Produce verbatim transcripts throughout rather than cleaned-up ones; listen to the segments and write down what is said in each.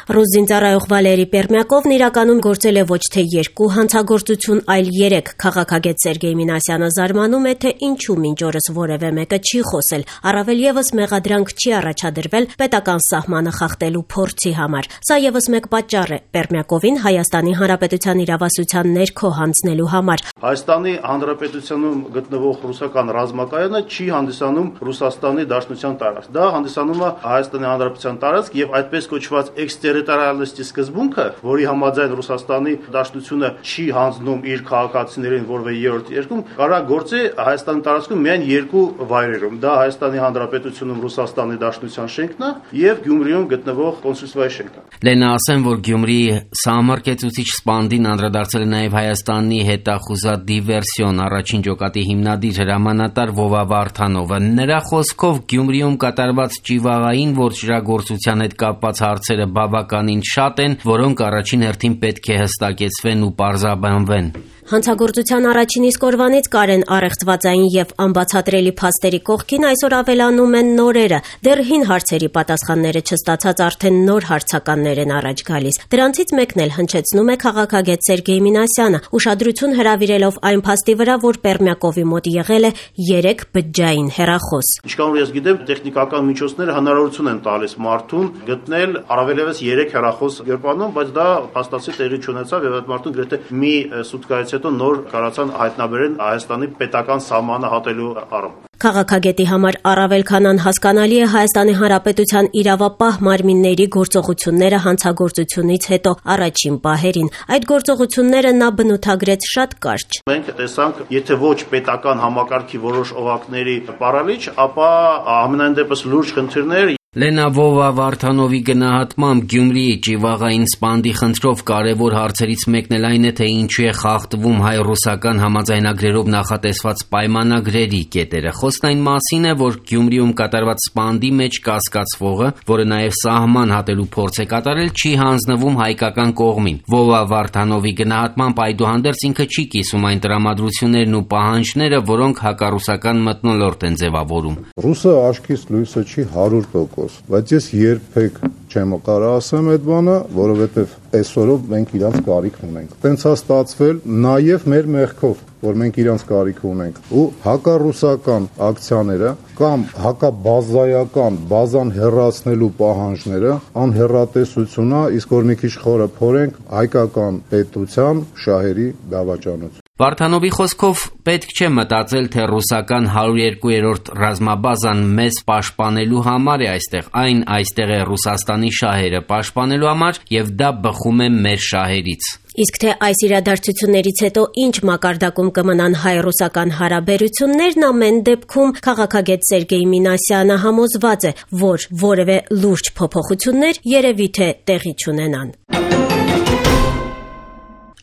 Ռուս զինծառայող Վալերի Պերմյակովն իրականում գործել է ոչ թե երկու հանցագործություն, այլ երեք։ Քաղաքագետ Սերգեյ Մինասյանը զարմանում է, թե ինչու մինչ օրս որևէ մեկը չի խոսել, առավել ևս մեղադրանք չի առաջադրվել պետական սահմանը խախտելու փորձի համար։ Սա ևս մեկ պատճառ է Պերմյակովին Հայաստանի Հանրապետության իրավասության ներքո հանձնելու համար։ Հայաստանի Հանրապետությունում գտնվող ռուսական ռազմակայանը չի հանդիսանում Ռուսաստանի Դաշնության տարածք։ Դա հանդիսանում է Հայաստանի Հանրապետության տարածք եւ այդպես կոչված էքստերիտորիալիստի սկզբունքը, որի համաձայն Ռուսաստանի Դաշնությունը չի հանձնում իր քաղաքացիներին որևէ երրորդ երկրում, կարա գործի Հայաստանի տարածքում միայն երկու վայրերում։ Դա Հայաստանի Հանրապետությունում Ռուսաստանի Դաշնության շենքն է եւ Գյումրիում գտնվող կոնսուլствայի շենքն է։ Լենա, ասեմ, որ Գյումրիի սահմռկեցուցիչ սպանդին անդրադարձել է նաեւ Հայաստանի հետախուզած դիվերսիոն առաջին ջոկատի հիմնադիր հրամանատար Վովա Վարդանովը։ Նրա խոսքով Գյումրիում կատարված ճիվաղային որջրագործության հետ կապված հարցերը բավականին շատ են, որոնք առաջին հերթին պետք է հստակեցվեն ու պարզաբանվեն։ Հանցագործության առաջին իսկ օրվանից Կարեն առեղծվածային եւ անբացատրելի փաստերի կողքին այսօր ավելանում են նորերը։ Դեռ հին հարցերի պատասխանները չստացած արդեն նոր հարցականներ են առաջ գալիս։ Դրանցից մեկն էլ հնչեցնում է քաղաքագետ Սերգեյ Մինասյանը, ուշադրություն հրավիրելով այն փաստի վրա, որ Պերմյակովի մոտ եղել է երեք բջջային հեռախոս։ Ինչքան որ ես գիտեմ, տեխնիկական միջոցները հնարավորություն են տալիս մարդուն գտնել առավելևս երեք հեռախոս գրպանում, բայց դա փաստացի տեղի չունեցավ եւ այդ մարդուն գրեթե մի սուտկայից հետո նոր կարացան հայտնաբերեն Հայաստանի պետական սահմանը հատելու առումով։ Քաղաքագետի համար առավել քան անհասկանալի է Հայաստանի Հանրապետության իրավապահ մարմինների գործողությունները հանցագործությունից հետո առաջին պահերին։ Այդ գործողությունները նա բնութագրեց շատ կարճ։ Մենք տեսանք, եթե ոչ պետական համակարգի որոշ օղակների պարալիչ, ապա ամենայն դեպս լուրջ խնդիրներ։ Լենա, Վովա Վարդանովի գնահատմամբ Գյումրիի ճիվաղային սպանդի խնդրով կարևոր հարցերից մեկն էլ այն է, թե ինչու է խախտվում հայ-ռուսական համաձայնագրերով նախատեսված պայմանագրերի կետերը։ Խոսքն այն մասին է, որ Գյումրիում կատարված սպանդի մեջ կասկածվողը, որը նաև սահման հատելու փորձ է կատարել, չի հանձնվում հայկական կողմին։ Վովա Վարդանովի գնահատմամբ այդուհանդերձ ինքը չի կիսում այն տրամադրություններն ու պահանջները, որոնք հակառուսական մթնոլորտ են ձևավորում։ Ռուսը աչքից լույսը չի հարյուր տոկոս, բայց ես երբեք չեմ կարա ասեմ այդ բանը, որովհետև այսօրով մենք իրանց կարիք ունենք։ Տենց է ստացվել նաև մեր մեղքով, որ մենք իրանց կարիք ունենք։ Ու հակառուսական ակցիաները կամ հակաբազայական բազան հեռացնելու պահանջները անհեռատեսությունն է, իսկ որ մի քիչ խորը փորենք հայկական պետության շահերի դավաճանություն։ Վարդանովի խոսքով պետք չէ մտածել, թե ռուսական հարյուրերկուերորդ ռազմաբազան մեզ պաշտպանելու համար է այստեղ, այն այստեղ է Ռուսաստանի շահերը պաշտպանելու համար եւ դա բխում է մեր շահերից։ Իսկ թե այս իրադարձություններից հետո ինչ մակարդակում կմնան հայ-ռուսական հարաբերություններն, ամեն դեպքում քաղաքագետ Սերգեյ Մինասյանը համոզված է, որ որևէ լուրջ փոփոխություններ երևի թե տեղի չունենան։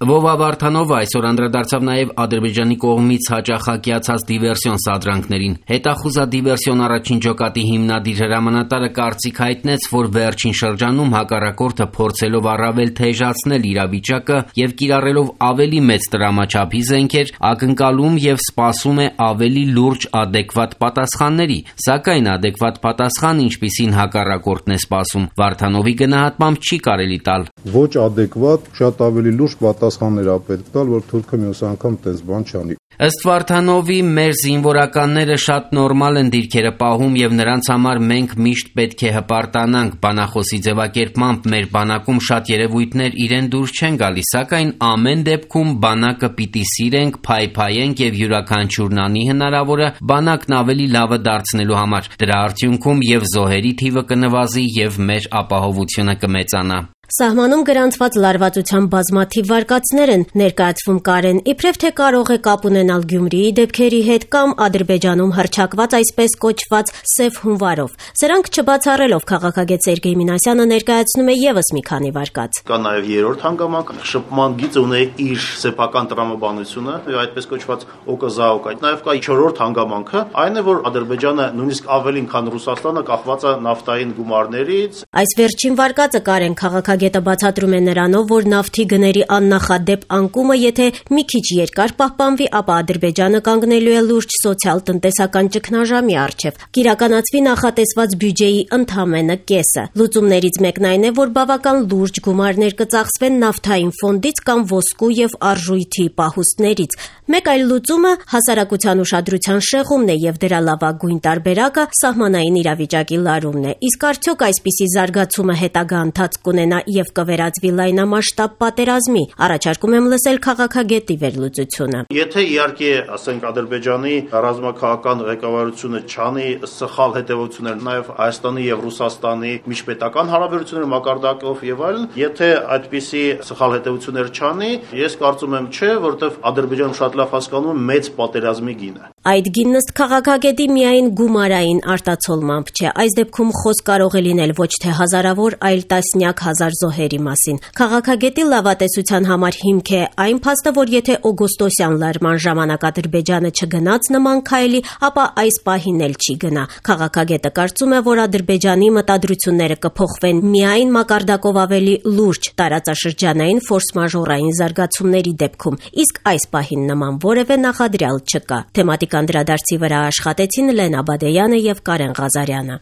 Վովա Վարդանովը այսօր անդրադարձավ նաև Ադրբեջանի կողմից հաճախակիացած դիվերսիոն սադրանքներին։ Հետախուզած դիվերսիոն առաջին ջոկատի հիմնադիր հրամանատարը կարծիք հայտնեց, որ վերջին շրջանում հակառակորդը փորձելով առավել թեժացնել իրավիճակը եւ կիրառելով ավելի մեծ տրամաչափի զենքեր, ակնկալում եւ սպասում է ավելի լուրջ ադեկվատ պատասխանների, սակայն ադեկվատ պատասխան, ինչպիսին հակառակորդն է սպասում, Վարդանովի գնահատմամբ չի կարելի տալ։ Ոչ ադեկվատ, շատ ավելի լուրջ պատասխաններ ա պետք տալ, որ թուրքը մյուս անգամ տես բան չանի։ Ըստ Վարդանովի, մեր զինվորականները շատ նորմալ են դիրքերը պահում եւ նրանց համար մենք միշտ պետք է հպարտանանք։ Բանախոսի ձևակերպմամբ մեր բանակում շատ երևույթներ իրեն դուրս չեն գալիս, սակայն ամեն դեպքում բանակը պիտի սիրենք, փայփայենք եւ յուրաքանչյուրն անի հնարավորը բանակն ավելի լավը դարձնելու համար։ Դրա արդյունքում եւ զոհերի թիվը կնվազի եւ մեր ապահովությունը կմեծանա։ Սահմանում գրանցված լարվածության բազմաթիվ վարկածներ են ներկայացվում Կարեն, իբրև թե կարող է կապ ունենալ Գյումրիի դեպքերի հետ կամ Ադրբեջանում հռչակված այսպես կոչված սև հունվարով։ Սրանք չբացառելով քաղաքագետ Սերգեյ Մինասյանը ներկայացնում է եւս մի քանի վարկած։ Կա նաեւ երրորդ հանգամանք, շփման գիծը ունի իր սեփական տրամաբանությունը, այդպես կոչված օկոզաոկա։ Նաեւ կա չորրորդ հանգամանքը, այն է, որ Ադրբեջանը նույնիսկ ավելին, քան Ռուսաստանը կախված է նավթային գումարներից։ Այս վերջին վարկածը Կարեն քաղաքագետ Քաղաքագետը բացատրում է նրանով, որ նավթի գների աննախադեպ անկումը, եթե մի քիչ երկար պահպանվի, ապա Ադրբեջանը կանգնելու է լուրջ սոցիալ-տնտեսական ճգնաժամի առջև, կիրականացվի նախատեսված բյուջեի ընդամենը կեսը։ Լուծումներից մեկն այն է, որ բավական լուրջ գումարներ կծախսվեն նավթային ֆոնդից կամ ոսկու եւ արժույթի պահուստներից։ Մեկ այլ լուծումը հասարակության ուշադրության շեղումն է եւ դրա լավագույն տարբերակը սահմանային իրավիճակի լարումն է։ Իսկ արդյոք այսպիսի զարգացումը հետագա ընթացք կունենա եւ կվերածվի լայնամասշտաբ պատերազմի։ Առաջարկում եմ լսել քաղաքագետի վերլուծությունը։ Եթե իհարկե, ասենք, Ադրբեջանի ռազմաքաղաքական ղեկավարությունը չանի սխալ հետևություններ նաեւ Հայաստանի եւ Ռուսաստանի միջպետական հարաբերությունների մակարդակով եւ այլն, եթե այդպիսի սխալ հետևություններ չանի, ես կարծում եմ չէ, որովհետեւ Ադրբեջանը շատ լավ հասկանում է մեծ պատերազմի գինը։ Այդ գինն ըստ քաղաքագետի միայն գումարային արտացոլմամբ չէ, այս դեպքում խոսք կարող է լինել ոչ թե հազարավոր, այլ տասնյակ հազար զոհերի մասին։ Քաղաքագետի լավատեսության համար հիմք է այն փաստը, որ եթե օգոստոսյան լարման ժամանակ Ադրբեջանը չգնաց նման քայլի, ապա այս պահին էլ չի գնա։ Քաղաքագետը կարծում է, որ Ադրբեջանի մտադրությունները կփոխվեն միայն մակարդակով ավելի լուրջ տարածաշրջանային ֆորս-մաժորային զարգացումների դեպքում, իսկ այս պահին նման որևէ նախադրյալ չկա։ Թեմատիկ անդրադարձի վրա աշխատեցին Լենա Բադեյանը եւ Կարեն Ղազարյանը։